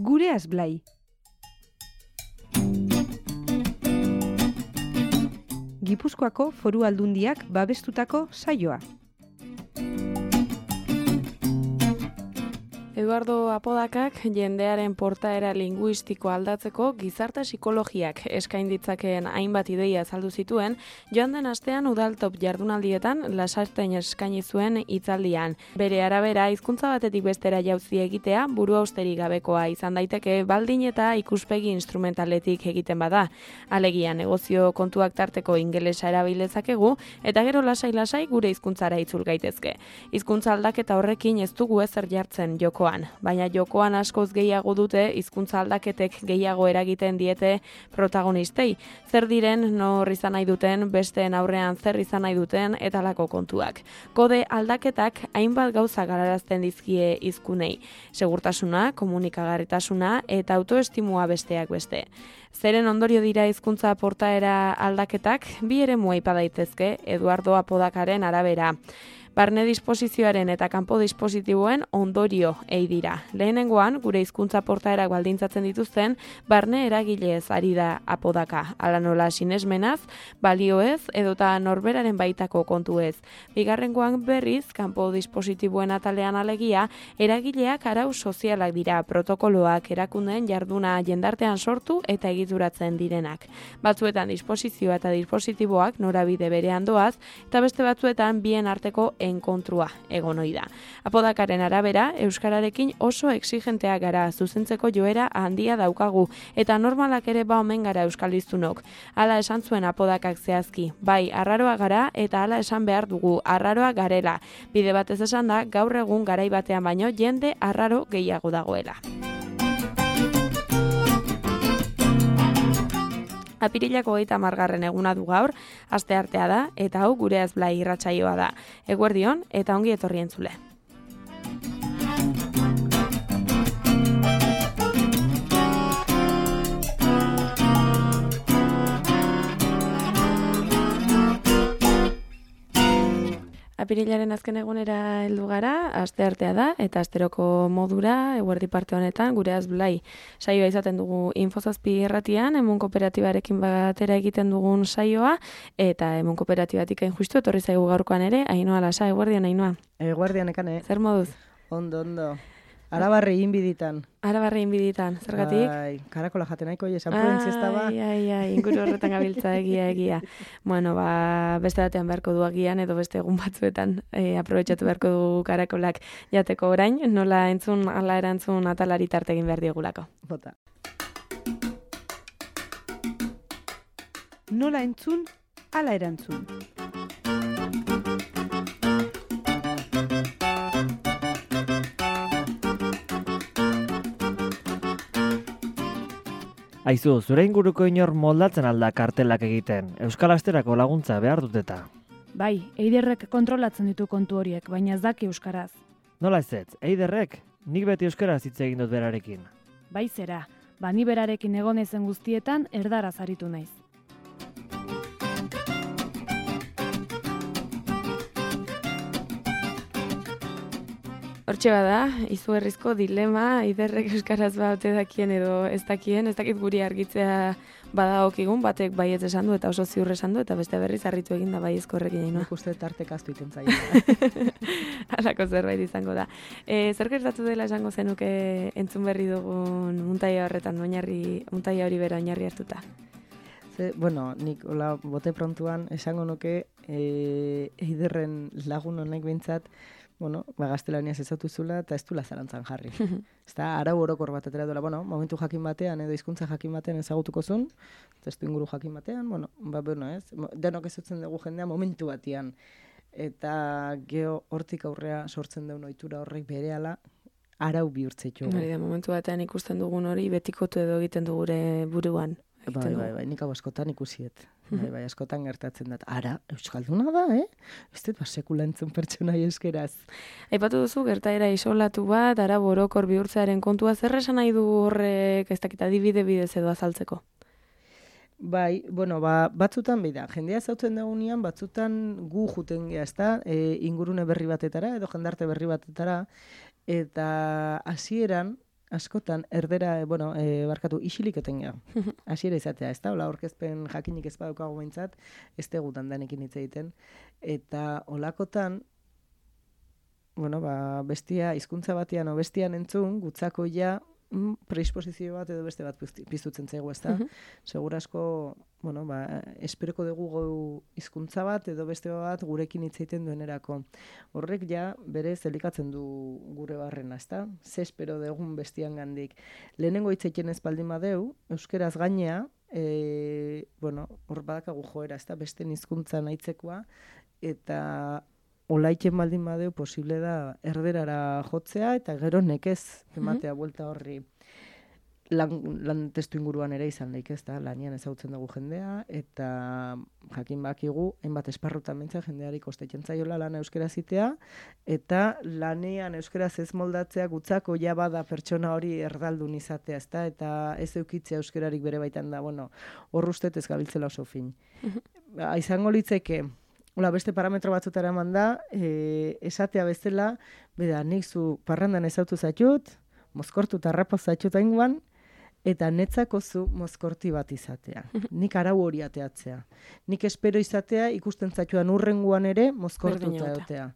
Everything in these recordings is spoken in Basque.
Gureaz Blai. Gipuzkoako Foru Aldundiak babestutako saioa. Eduardo Apodakak jendearen portaera linguistiko aldatzeko gizarte psikologiak eskain ditzakeen hainbat ideia azaldu zituen, joan den astean udaltop jardunaldietan lasarten eskaini zuen hitzaldian. Bere arabera, hizkuntza batetik bestera jauzi egitea buruhausterik gabekoa izan daiteke baldin eta ikuspegi instrumentaletik egiten bada. Alegia negozio kontuak tarteko ingelesa erabilezakegu eta gero lasai-lasai gure hizkuntzara itzul gaitezke. Hizkuntza aldaketa horrekin ez dugu ezer jartzen jokoan. Baina jokoan askoz gehiago dute hizkuntza aldaketek gehiago eragiten diete protagonistei. Zer diren, nor izan nahi duten, besteen aurrean zer izan nahi duten eta lako kontuak. Kode aldaketak hainbat gauza galarazten dizkie hizkunei. Segurtasuna, komunikagarritasuna eta autoestimua besteak beste. Zeren ondorio dira hizkuntza portaera aldaketak, bi eremu aipa daitezke Eduardo Apodakaren arabera. Barne disposizioaren eta kanpo dispositiboen ondorio ei dira. Lehenengoan, gure hizkuntza portaerak baldintzatzen dituzten, barne eragilez ari da Apodaka. Hala nola sinesmenaz, balioez, edota norberaren baitako kontuez. Bigarrengoan berriz, kanpo dispositiboen atalean alegia, eragileak arau sozialak dira, protokoloak erakundeen jarduna jendartean sortu eta egituratzen direnak. Batzuetan disposizioa eta dispositiboak norabide berean doaz, eta beste batzuetan bien arteko enkontrua egon ohi da. Apodakaren arabera, euskararekin oso exigenteak gara, zuzentzeko joera handia daukagu, eta normalak ere ba omen gara euskaldiztunok. Hala esan zuen Apodakak zehazki, bai, arraroa gara eta hala esan behar dugu, arraroa garela. Bide batez esan da, gaur egun garai batean baino jende arraro gehiago dagoela. Apirilako 30. eguna du gaur, asteartea da, eta hau Gureaz Blai irratsaioa da. Eguerdion eta ongi etorri entzule. Apirilaren azken egunera heldu gara, asteartea da, eta asteroko modura, eguerdi parte honetan, Gureaz Blai saioa izaten dugu Infozazpi irratian, Emun Kooperatibarekin batera egiten dugun saioa, eta Emun Kooperatibatik hain justu, etorri zaigu gaurkoan ere, Ainhoa Lasa, eguerdian, Ainhoa. Eguerdian ekane. Zer moduz? Ondo. Arabarri inbiditan. Arabarri inbiditan, zergatik? Ai, karakola jaten nahiko, esan pruentziesta ba. Ai, inguru horretan gabiltza egia. Bueno, beste batean beharko du agian, edo beste egun batzuetan aprobetxatu beharko du karakolak jateko orain, nola entzun, ala erantzun atalari tarte egin behar diogulako. Bota. Nola entzun, ala erantzun. Aizu, zure inguruko inor moldatzen alda kartelak egiten, Euskal Asterako laguntza behar duteta. Bai, Eiderrek kontrolatzen ditu kontu horiek, baina ez daki euskaraz. Nola ez, Eiderrek? Nik beti euskaraz hitz egin dut berarekin. Bai zera, ni berarekin egon ezen guztietan erdaraz aritu naiz. Hortxe bada, izugarrizko dilema, Eiderrek euskaraz baute dakien edo ez dakien, ez dakit guri argitzea badagokigun, batek baietz esan du eta oso ziur esan du, eta beste berriz harritu egin da baiezko horrekin egin. Nik uste tartek aztu iten zaila. Halako zerbait izango da. Zer gertatu dela esango zenuke entzun berri dugun muntaia horretan, muntaia hori bera oinarri hartuta? Bueno, nik hola bote prontuan esango nuke Eiderren lagun honek behintzat, gaztelaniaz ezautu zula eta ez dula zalantzan jarri. Ez da, arau orokor bat atera duela, momentu jakin batean edo hizkuntza jakin batean ezagutuko zuen, testu inguru jakin batean, ez, denok ezutzen dugu jendea momentu batean. Eta geho hortik aurrea sortzen duen ohitura horrek berehala arau bihurtzeitu. Hori da, momentu batean ikusten dugun hori betikotu edo egiten du gure buruan. Bai, nik hau askotan ikusiet. Bai, askotan gertatzen dut. Ara, euskalduna da, Ez dut sekula entzun pertsonai euskeraz. Aipatu duzu, gertaera isolatu bat, ara borokor bihurtzearen kontua, zer esan nahi du horrek, ez dakit adibide bidez edo azaltzeko? Bai, batzutan bida, jendea zautzen dagunean, batzutan gu juten geha, ezta, ingurune berri batetara, edo jendarte berri batetara, eta hasieran askotan, erdera, isilik etengea. Hasiera izatea, ez da? Ola, orkezpen jakinik ez badaukago behintzat, ez tegut handanekin hitz egiten. Eta olakotan, bestia, hizkuntza batean o bestian entzun, gutzakoia predisposizio bat edo beste bat piztutzen zaigu, ez da? Segur asko, esperoko dugu hizkuntza bat edo beste bat gurekin hitz egiten duenerako. Horrek ja berez elikatzen du gure barrena, ez da? Ze espero dugun bestian gandik. Lehenengo hitz egiten ez baldin badeu, euskeraz gainea, hor badakagu joera, ez da? Beste hizkuntza nahitzekoa, eta olaiken baldin badeu posible da erderara jotzea eta gero nekez ematea buelta horri. Lan testu inguruan ere izan daik, ez da, lanian ezagutzen dugu jendea, eta jakin bakigu, hainbat esparrutan mentza jendeari kostetzen zaiola lana euskaraz itea, eta lanean euskaraz ez moldatzea gutzako ja bada pertsona hori erdaldun izatea, ez da, eta ez eukitzea euskararik bere baitan da, hor ustet ez gabiltzela oso fin. Izango litzeke, beste parametro batzutara eman da, esatea bezala, nik zu parrandan ezautu zaitut, mozkortu eta harrapa zaitut ainguan, eta netzako zu mozkorti bat izatea. Nik arau hori ateatzea. Nik espero izatea ikusten zaituan urrenguan ere mozkortuta egotea.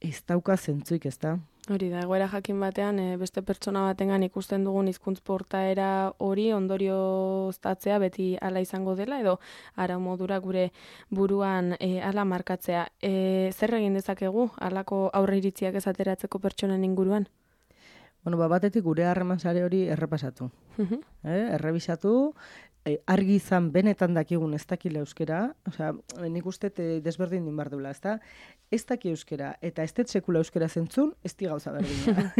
Ez dauka zentzuik, ez da? Hori da, egoera jakin batean, beste pertsona batengan ikusten dugun hizkuntz portaera hori ondorioztatzea beti hala izango dela, edo ara modura gure buruan hala markatzea. Zer egin dezakegu halako aurreiritziak ez ateratzeko pertsonen inguruan? Batetik gure harreman sare hori errepasatu. Errebisatu, argi izan benetan dakigun ez dakila euskera, nik uste desberdin din behar duela, ez da? Ez daki euskera, eta ez sekula euskera zentzun, ez di gauza berdina.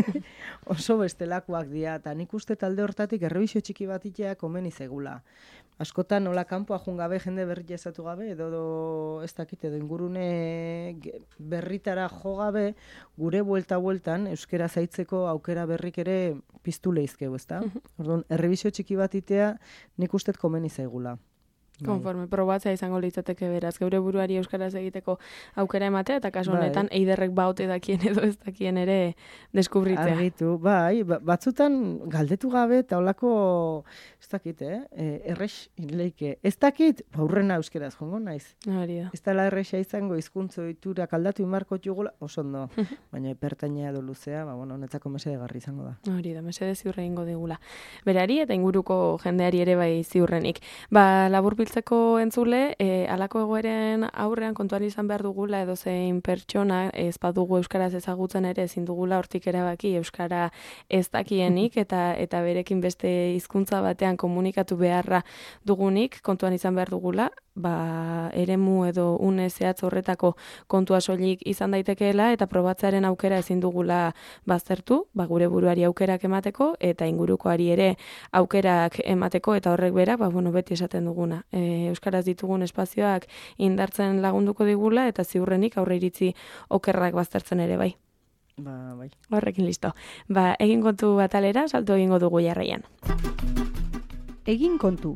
Oso bestelakoak dira, eta nik uste talde hortatik errebisio txiki bat itea komeni zegula. Askotan nola kanpoa jungabe, jende berri jazatu gabe, edo ez dakit, edo ingurune berritara jo gabe, gure buelta-bueltan euskera zaitzeko aukera berrik ere piztu leizkeu, ez da? Orduan, errebisio txiki bat itea nik uste komeni zaigula. Konforme, probatzea izango litzateke beraz, geure buruari euskaraz egiteko aukera ematea, eta kasu honetan eiderrek baute dakien edo ez dakien ere deskubritzea. Argitu, batzutan galdetu gabe eta holako, ez dakit, errex leike. Ez dakit, aurrena euskaraz jongo naiz. Hori da. Ez dela errexa izango hizkuntza ohiturak aldatu inmarko jugula, oso ondo. Baina pertaina edo luzea, netzako mesedegarri izango da. Hori da, mesede ziurre egingo digula. Berari eta inguruko jendeari ere bai ziurrenik. Laburbiltzeko entzule, halako egoeren aurrean kontuan izan behar dugula edo zein pertsona ez badugu euskaraz ezagutzen ere ezin dugula hortik erabaki euskara ez dakienik eta berekin beste hizkuntza batean komunikatu beharra dugunik kontuan izan behar dugula, eremu edo une zehatz horretako kontua soilik izan daitekeela eta probatzearen aukera ezin dugula baztertu, gure buruari aukerak emateko eta ingurukoari ere aukerak emateko eta horrek berak, beti esaten duguna. Euskaraz ditugun espazioak indartzen lagunduko digula eta ziurrenik aurreiritzi okerrak baztertzen ere bai. Bai. Horrekin listo. Egin kontu batalera, salto egingo dugu jarraian. Egin kontu.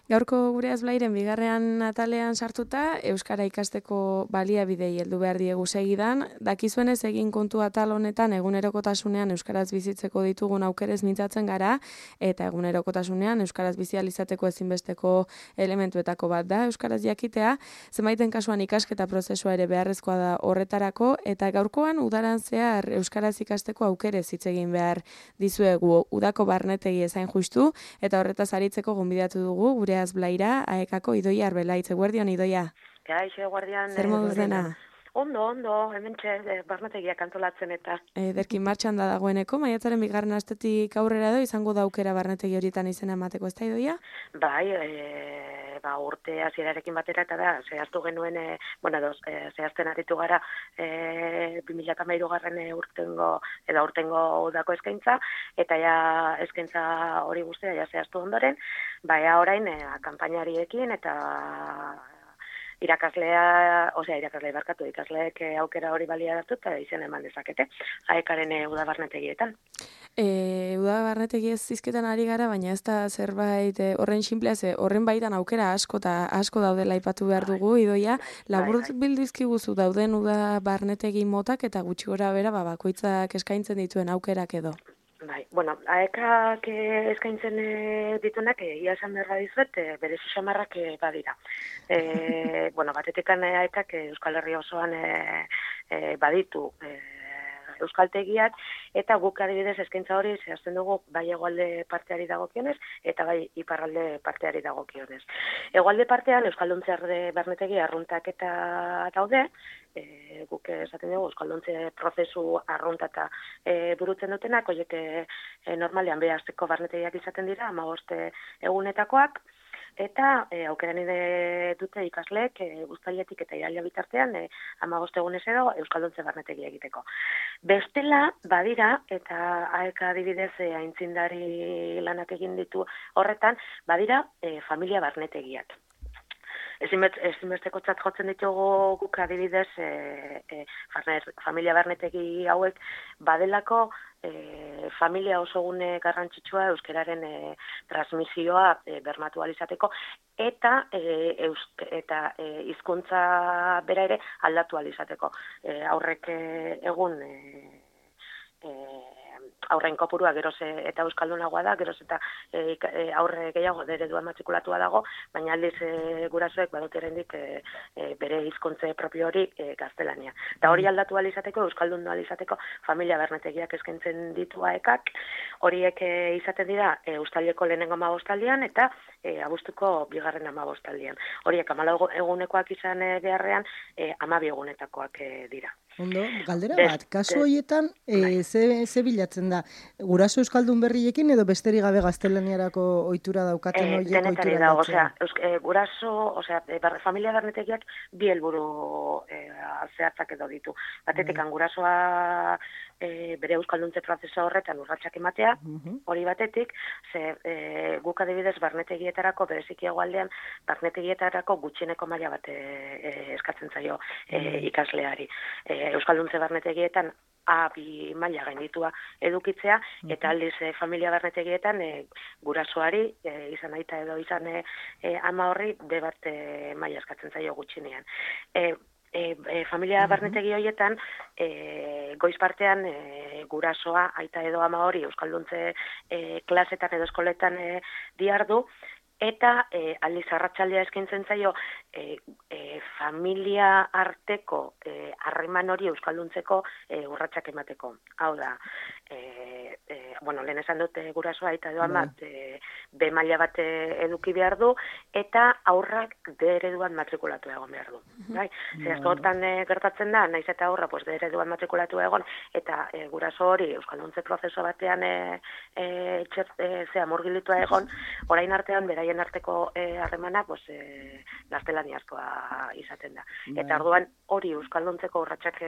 Gaurko gure azblairen bigarrean atalean sartuta, euskara ikasteko baliabidei heldu behar diegu segidan. Dakizuenez egin kontu atal honetan egunerokotasunean euskaraz bizitzeko ditugun aukerez mintzatzen gara, eta egunerokotasunean euskaraz bizializateko ezinbesteko elementuetako bat da euskaraz jakitea. Zenbaiten kasuan ikasketa prozesua ere beharrezkoa da horretarako, eta gaurkoan udaran zehar euskaraz ikasteko aukerez hitz egin behar dizuegu udako barnetegi ezain justu, eta horretaz aritzeko gonbidatu dugu gure azblaira, aekako Idoia Arbelaitz. Eguerdion, Idoia? Kaixo, eguerdian. Zer moduz dena? Ondo, hementxe barnetegiak antolatzen eta. Derkin martxan da dagoeneko, maiatzaren bigarren astetik aurrera edo izango da aukera barnetegi horietan izena emateko, ez da, Idoia? Bai, urte hasierarekin batera eta da, zehaztu genuen, zehazten aritu gara 2013 urtengo udako eskaintza, eta ja eskaintza hori guztia ja zehaztu ondoren, orain kanpainariekin eta ikasleek aukera hori baliatu eta izen eman dezakete, AEK-aren udabarnetegietan. Udabarnetegi ez zizketan ari gara, baina ez da zerbait horren sinplea, horren baitan aukera asko daudela aipatu behar dugu, Idoia, labur bildizkiguzu dauden udabarnetegi motak eta gutxi gora bera bakoitzak eskaintzen dituen aukerak edo. Bai, bueno, AEK-ak eskaintzen dituenak, ia esan behar dizuet, bere xamarrak badira. Bueno, batetikan AEK-ak Euskal Herria osoan baditu euskaltegiak, eta guk adibidez eskaintza hori zehazten dugu bai hegoalde parteari dagokionez, eta bai iparralde parteari dagokionez. Hegoalde partean Euskalduntze barnetegi arruntak eta daude, guk esaten dugu Euskalduntze prozesu arruntata burutzen dutenak, horiek normalean behazteko barnetegiak izaten dira, 15 egunetakoak, eta aukeran dute ikasleek uztailetik eta iraila bitartean 15 egunez edo Euskalduntze barnetegi egiteko. Bestela, badira, eta AEK adibidez aintzindari lanak egin ditu horretan, badira familia barnetegiak. Ezinbestekotzat jotzen ditugu guk adibidez familia barnetegi hauek badelako familia oso gune garrantzitsua euskararen transmisioa bermatu ahal izateko eta hizkuntza bera ere aldatu ahal izateko. Aurrek egun aurren kopurua geroz eta euskaldunagoa da, geroz eta aurre gehiago ereduan matrikulatua dago, baina aldiz gurasoek badute oraindik bere hizkuntza propio hori gaztelania. Eta hori aldatu ahal izateko, euskaldundu ahal izateko familia barnetegiak eskaintzen ditu AEK-ak, horiek izaten dira uztaileko lehenengo 15aldian eta abuztuko bigarren 15aldian. Horiek 14 egunekoak izan beharrean 12 egunetakoak dira. Ondo, galdera bat, kasu horietan ze bilatzen da? Guraso euskaldun berriekin edo besterik gabe gaztelaniarako ohitura daukaten horiek denetari dago, guraso, familia barnetegiak bi helburu zehatzak edo ditu. Batetik, gurasoa bere euskalduntze prozesa horretan urratsak ematea, hori batetik, guk adibidez barnetegietarako, bereziki hegoaldean, barnetegietarako gutxieneko maila bat eskatzen zaio ikasleari. Euskalduntze barnetegietan A2 maila gainditua edukitzea, eta aldiz familia barnetegietan gurasoari, izan aita edo izan ama horri, B1 maila eskatzen zaio gutxinean. Familia barnetegi horietan, goiz partean gurasoa, aita edo ama hori euskalduntze klasetan edo eskoletan diardu, eta aldiz arratsaldea eskaintzen zaio familia arteko harreman hori euskalduntzeko urratsak emateko. Hau da, lehen esan dute gurasoa eta edo ama B maila bat eduki behar du, eta aurrak D ereduan matrikulatu egon behar du. Askotan gertatzen da, naiz eta aurra D ereduan matrikulatu egon, eta guraso hori euskalduntze prozesu batean murgilitua egon, orain artean beraien arteko harremana gaztelaniazkoa izaten da. Eta orduan hori euskalduntzeko urratsak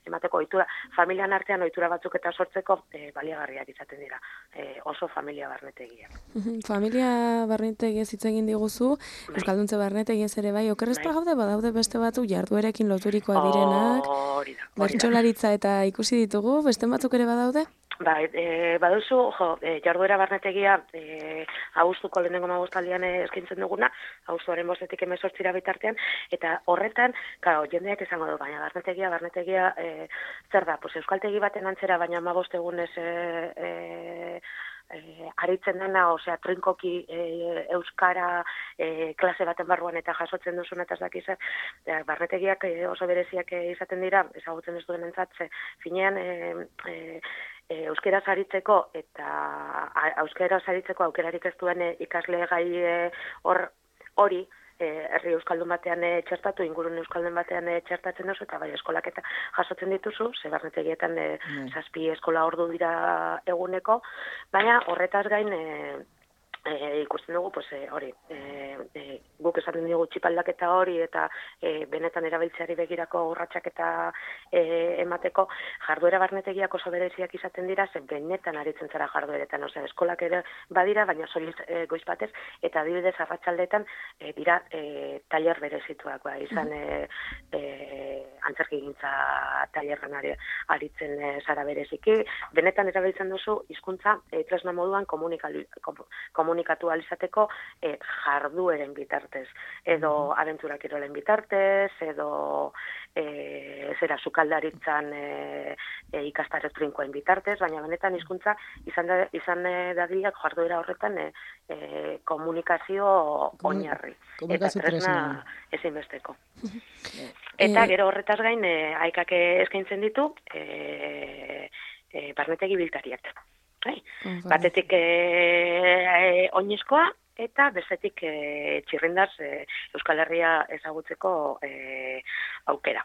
emateko ohitura, familian artean ohitura batzuk eta sortzeko baliagarriak izaten dira. Oso familia barnetegiak. Familia barnetegiez hitz egin diguzu, euskalduntze barnetegiez ere bai, okerrezpa gaude badaude beste batzuk jarduerekin loturikoa direnak, bertsolaritza eta ikusi ditugu, beste batzuk ere badaude? Bai, baduzu, jarduera barnetegia abuztuko lehenengo 15aldian eskaintzen duguna, abuztuaren 5-etik 18 bitartean, eta horretan, jendeak esango du, baina barnetegia zer da, euskaltegi baten antzera, baina 15 egunez aritzen dena, trinkoki euskara klase baten barruan eta jasotzen duzun eta ez dakiz, barnetegiak oso bereziak izaten dira, ezagutzen ez duen entzat, finean euskera saritzeko aukerarik ez duen ikasle gai hori herri euskaldun batean txertatu, ingurun euskaldun batean txertatzen duzu, eta bai eskolak eta jasotzen dituzu, ze barnetegietan 7 eskola ordu dira eguneko, baina horretaz gain ikusten dugu, pues, hori, guk esaten dugu txipaldaketa hori eta benetan erabiltzeari begirako urratsak eta emateko jarduera barnetegiak oso bereziak izaten dira, zen benetan aritzen zara jardueretan, eskolak ere badira, baina soilik goiz batez, eta adibidez arratsaldeetan dira tailer berezituak, izan antzerkigintza tailerran aritzen zara bereziki, benetan erabiltzen duzu hizkuntza tresna moduan komunikatu alizateko jardueren bitartez, edo abentura kirolen bitartez, edo sukaldaritzan ikastaro trinkoen bitartez, baina benetan hizkuntza izan dadilak jarduera horretan komunikazio oinarri. Eta tresna ezinbesteko. Eta gero horretaz gain, aikak eskaintzen ditu barnetegi biltariak. Batetik oinezkoa eta bestetik txirrindaz Euskal Herria ezagutzeko aukera.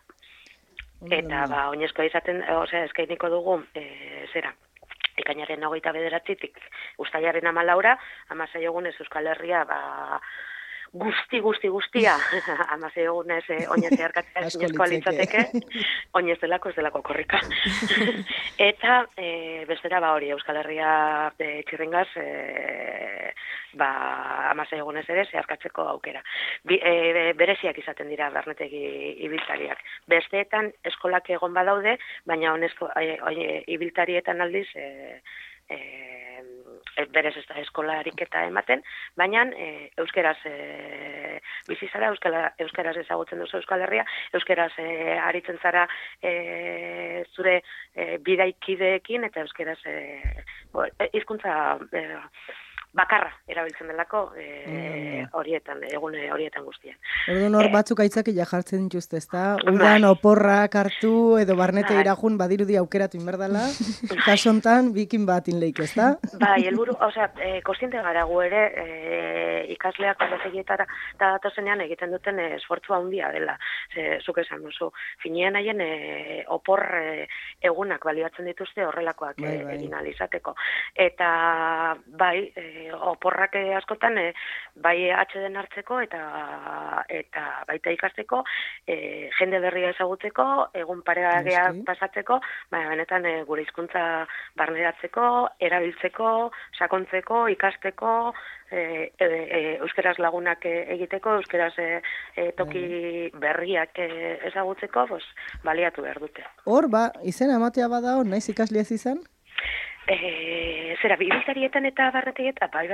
Eta oinezkoa izaten, eskainiko dugu ekainaren 29tik uztailaren 14, 16 egunez Euskal Herria guztia 16 egunez oinez zeharkatzea ezinezkoa litzateke, oinez delako ez delako korrika. Eta bestera hori Euskal Herria txirringaz 16 egunez ere zeharkatzeko aukera. Bereziak izaten dira barnetegi ibiltariak. Besteetan eskolak egon badaude, baina ibiltarietan aldiz berez ez da eskola ariketa ematen, baina euskeraz bizi zara, euskeraz ezagutzen duzu Euskal Herria, euskeraz aritzen zara zure bidaikideekin, eta euskeraz hizkuntza bakarra erabiltzen delako horietan guztian. Orduan hor batzuk aitzakila jartzen dituzte, ezta? Udan oporrak hartu edo barnete irajun badirudi aukeratu inberdala, kaso hontan bikin bat inleik, ezta? Bai, helburu, kontziente gara gu ere ikasleak barnetegietara datozenean egiten duten esfortzua handia dela. Zuk esan duzu, finean haien opor egunak baliatzen dituzte horrelakoak egin ahal izateko. Eta bai, oporrak askotan bai atxeden hartzeko eta baita ikasteko, jende berria ezagutzeko, egun paregageak pasatzeko, baina benetan gure hizkuntza barneratzeko, erabiltzeko, sakontzeko, ikasteko, euskeraz lagunak egiteko, euskeraz toki berriak ezagutzeko, baliatu behar dute. Hor, izena ematea bada hor, naiz ikasleaz izan? Ibiltarietan eta barnetegietan, bai,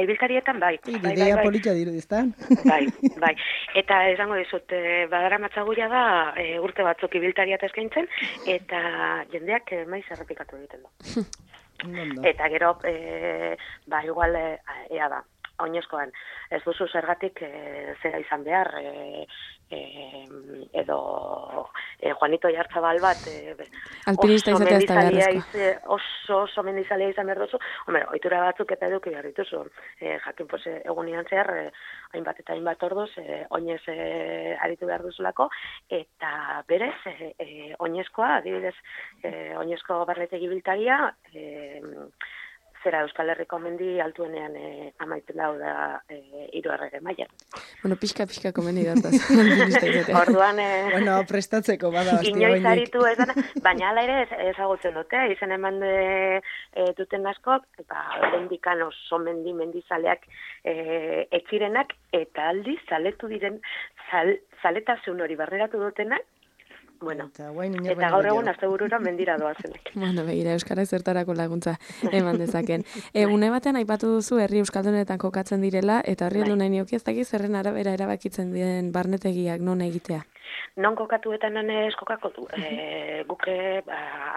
ibiltarietan, bai. Ideia polita dirudiztan. Bai. Eta esango dizut, badara matzaguria da urte batzuk ibiltariat eskaintzen, eta jendeak maiz errepikatu egiten du. Eta gero, igual, ea da, oinezkoan, ez duzu zergatik zera izan behar, edo Juanito Oyarzabal bat alpinista izatea ez da beharrezkoa. Oso mendizalea izan behar duzu. Ohitura batzuk eta eduki behar dituzu. Jakin, egunian zehar, hainbat eta hainbat orduz, oinez aritu behar duzulako, eta berez, oinezkoa, adibidez, oinezko barnetegi biltaria, zera Euskal Herriko mendi altuenean amaitzen dau da 3. mailan. Pixka komendi dataz. Orduan, prestatzeko bada hostia. Inoiz aritu ez dana, baina hala ere ezagutzen dute, izen eman duten askok, bendikan oso mendizaleak etxirenak, eta aldiz zaletu diren zaletasun hori barreratu dutenak, eta gaur egun asteburura mendira doazenek. Begira, euskara zertarako laguntza eman dezaken. Une batean aipatu duzu herri euskaldunetan kokatzen direla, eta horri heldu nahi nioki ez dakiz zerren arabera erabakitzen diren barnetegiak non egitea? Non kokatuetan ez kokako du. Guke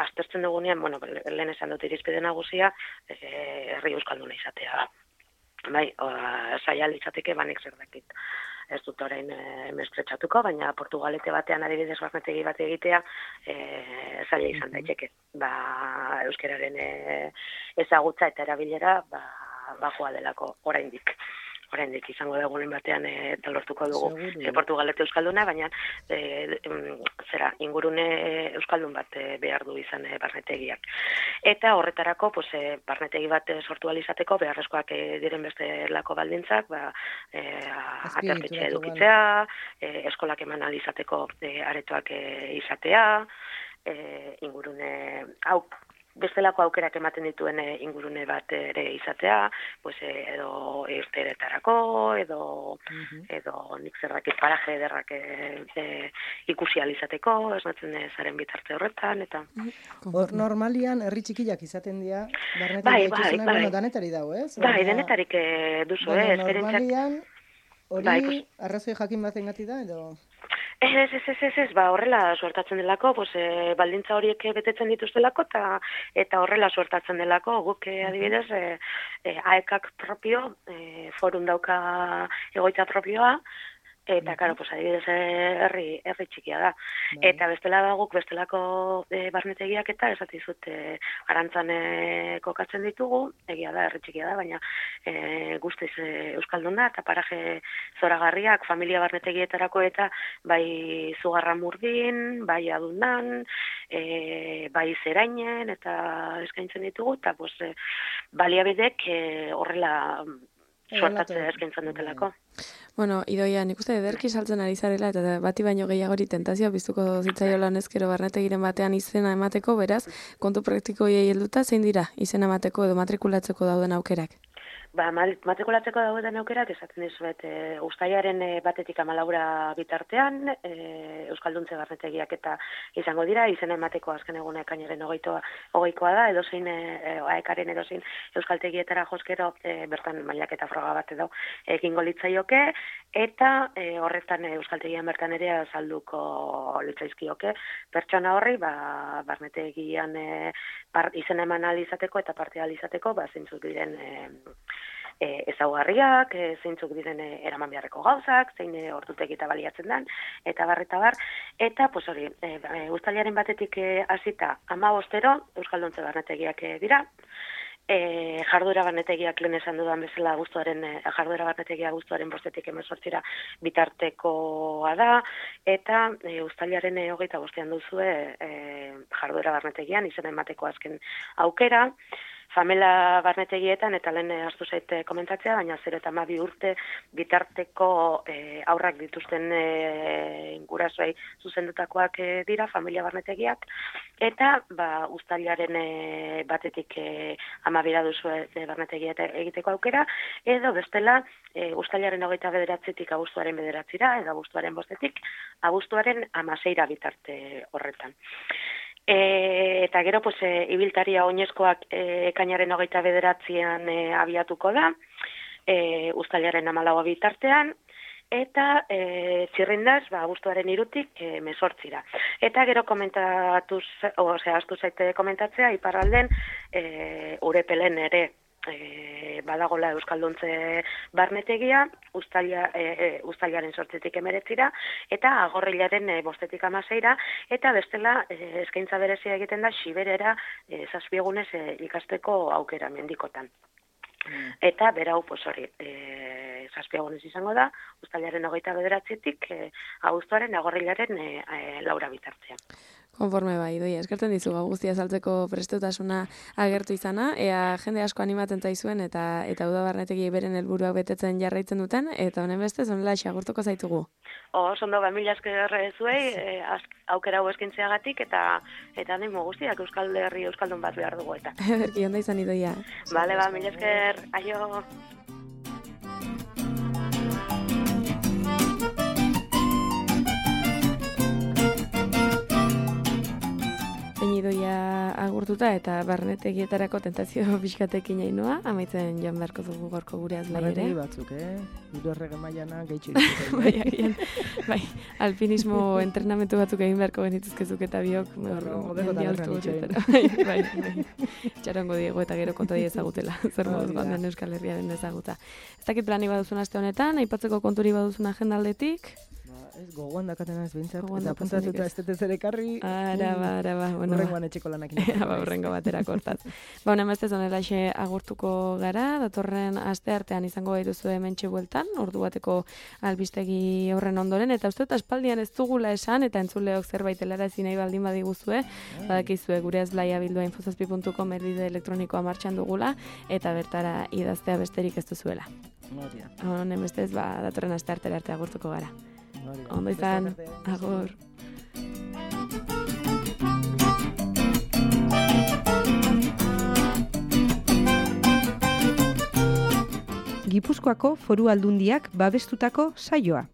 aztertzen dugunean, lehen esan dut irizpide nagusia, herri euskalduna izatea. Bai, zaila litzateke banek zer dakit. Ez dut orain mespretxatuko, baina Portugalete batean adibidez barnetegi bat egitea zaila izan daiteke. Euskararen ezagutza eta erabilera bajoa delako oraindik. Oraindik izango da egunen batean eta lortuko dugu Portugalete euskalduna, baina ingurune euskaldun bat behar du izan barnetegiak. Eta horretarako, barnetegi bat sortu alizateko, beharrezkoak diren bestelako baldintzak, aterpetxe edukitzea, eskolak eman alizateko aretoak izatea, ingurune hau, bestelako aukerak ematen dituen ingurune bat ere izatea, edo irteretarako, edo nik zerrakit paraje ederrak ikusi alizateko, esnatzen zaren bitarte horretan, eta... Normalian, herri txikiak izaten dira, barnetik bai. Danetari dago, ez? Bai, denetarik duzu, Normalian, hori arrazoi jakin baten gati da, edo... Ez, horrela suertatzen delako, baldintza horiek betetzen dituztelako, eta horrela suertatzen delako, guk adibidez, AEKak propio, forum dauka egoitza propioa, eta, karo, adibidez, herri txikia da. Eta bestela da guk, bestelako barnetegiak eta esatizut arantzan kokatzen ditugu, egia da, herri txikia da, baina guztiz euskaldun da, eta paraje zoragarriak, familia barnetegietarako eta bai Zugarramurdin, bai Adundan, bai Zerainen, eta eskaintzen ditugu, eta baliabidek horrela suertatzea eskaintzen dutelako. Bueno, Idoia, nik uste ederki saltzen ari zarela, eta bati baino gehiagori tentazioa biztuko zitzaiola honezkero barnetegiren batean izena emateko, beraz, kontu praktikoiei helduta zein dira izena emateko edo matrikulatzeko dauden aukerak? Matrikulatzeko dauden aukerak esaten dizuet, uztailaren 1-tik 14 bitartean, euskalduntze barnetegiak eta izango dira, izena emateko azken eguna ekainaren 20koa da, edozein AEKaren edozein euskaltegietara joskero bertan mailaketa froga bat edo egingo litzaioke, eta horretan euskaltegian bertan ere azalduko litzaizkioke pertsona horri, barnetegian izena eman alizateko eta parte alizateko, zeintzuk diren ezaugarriak, zeintzuk diren eraman beharreko gauzak, zein ordutegita baliatzen den, eta bar, eta hori, uztailaren 1-tik hasita 15 euskalduntze barnetegiak dira, jarduera barnetegiak lehen esan dudan bezala jarduera barnetegia guztuaren 5-tik 18 bitartekoa da, eta uztailaren 25 duzue jarduera barnetegian izena emateko azken aukera, famela barnetegietan, eta lehen hartu zait komentatzea, baina 0 eta 12 urte bitarteko aurrak dituzten gurasoei zuzendutakoak dira, familia barnetegiak, eta uztailaren 1-tik 12 duzu barnetegia egiteko aukera, edo bestela uztailaren 29-tik abuztuaren 9-ra, edo abuztuaren 5-tik abuztuaren 16-ra bitarte horretan. Eta gero, ibiltaria oinezkoak ekainaren 29-an abiatuko da, uztailaren 14 bitartean, eta txirrindaz, abuztuaren 3-tik 18-ra. Eta gero astu zaite komentatzea, iparralden Urepelen ere badagola euskalduntze barnetegia, uztailaren 8-tik 19-ra, eta Agorrilaren 5-tik 16-ra, eta bestela eskaintza berezia egiten da Xiberera 7 egunez ikasteko aukera mendikotan. Eta berau, hori, 7 egunez izango da, uztailaren 29-tik abuztuaren Agorrilaren 4 bitartean. Konforme Idoia, eskertzen dizu guztia saltzeko prestutasuna agertu izana, ea jende asko animatzen zaizuen eta uda barnetegi beren helburuak betetzen jarraitzen duten, eta honen beste zonela agurtuko zaitugu. Ondo, mila esker zuei, aukera hau eskaintzeagatik, eta nimo guztiak Euskal Herri euskaldun bat behar dugu eta. Ederki, onda izan Idoia. Bale, mila esker, aio. Idoia agurtuta eta barnetegietarako tentazio pixkatekin nainoa, amaitzen joan beharko dugu gorko gure azlai ere. Barnetegi batzuk, Hiru errege mailana gehitxo dituzten. Bai, alpinismo entrenamentu batzuk egin beharko benituzkezuk eta biok. Hobekotan erran itxoin. Bai. Txarongo diego eta gero konta ezagutela. Zer moduz bandan Euskal Herriaren ezagutza. Ez dakit plani baduzun aste honetan, aipatzeko konturi baduzun agenda aldetik? Ez, gogoan dakatena ez behintzat, Gogoan eta daukazunik apuntatuta ez. ez dut ezer ekarri. Araba, bueno. Horrengoan etxeko lanak Horrengo batera kortaz. Emaztez honelaxe agurtuko gara, datorren aste artean izango gaituzu hementxe bueltan, ordu bateko albistegi horren ondoren, eta uste aspaldian ez dugula esan, eta entzuleok zerbait helarazi nahi baldin badiguzue, badakizue gure ezblaia@infozazpi.com erbide elektronikoa martxan dugula, eta bertara idaztea besterik ez duzuela. Honen bestez, datorren aste artera arte agurtuko gara. Ondo izan, agur. Gipuzkoako Foru Aldundiak babestutako saioa.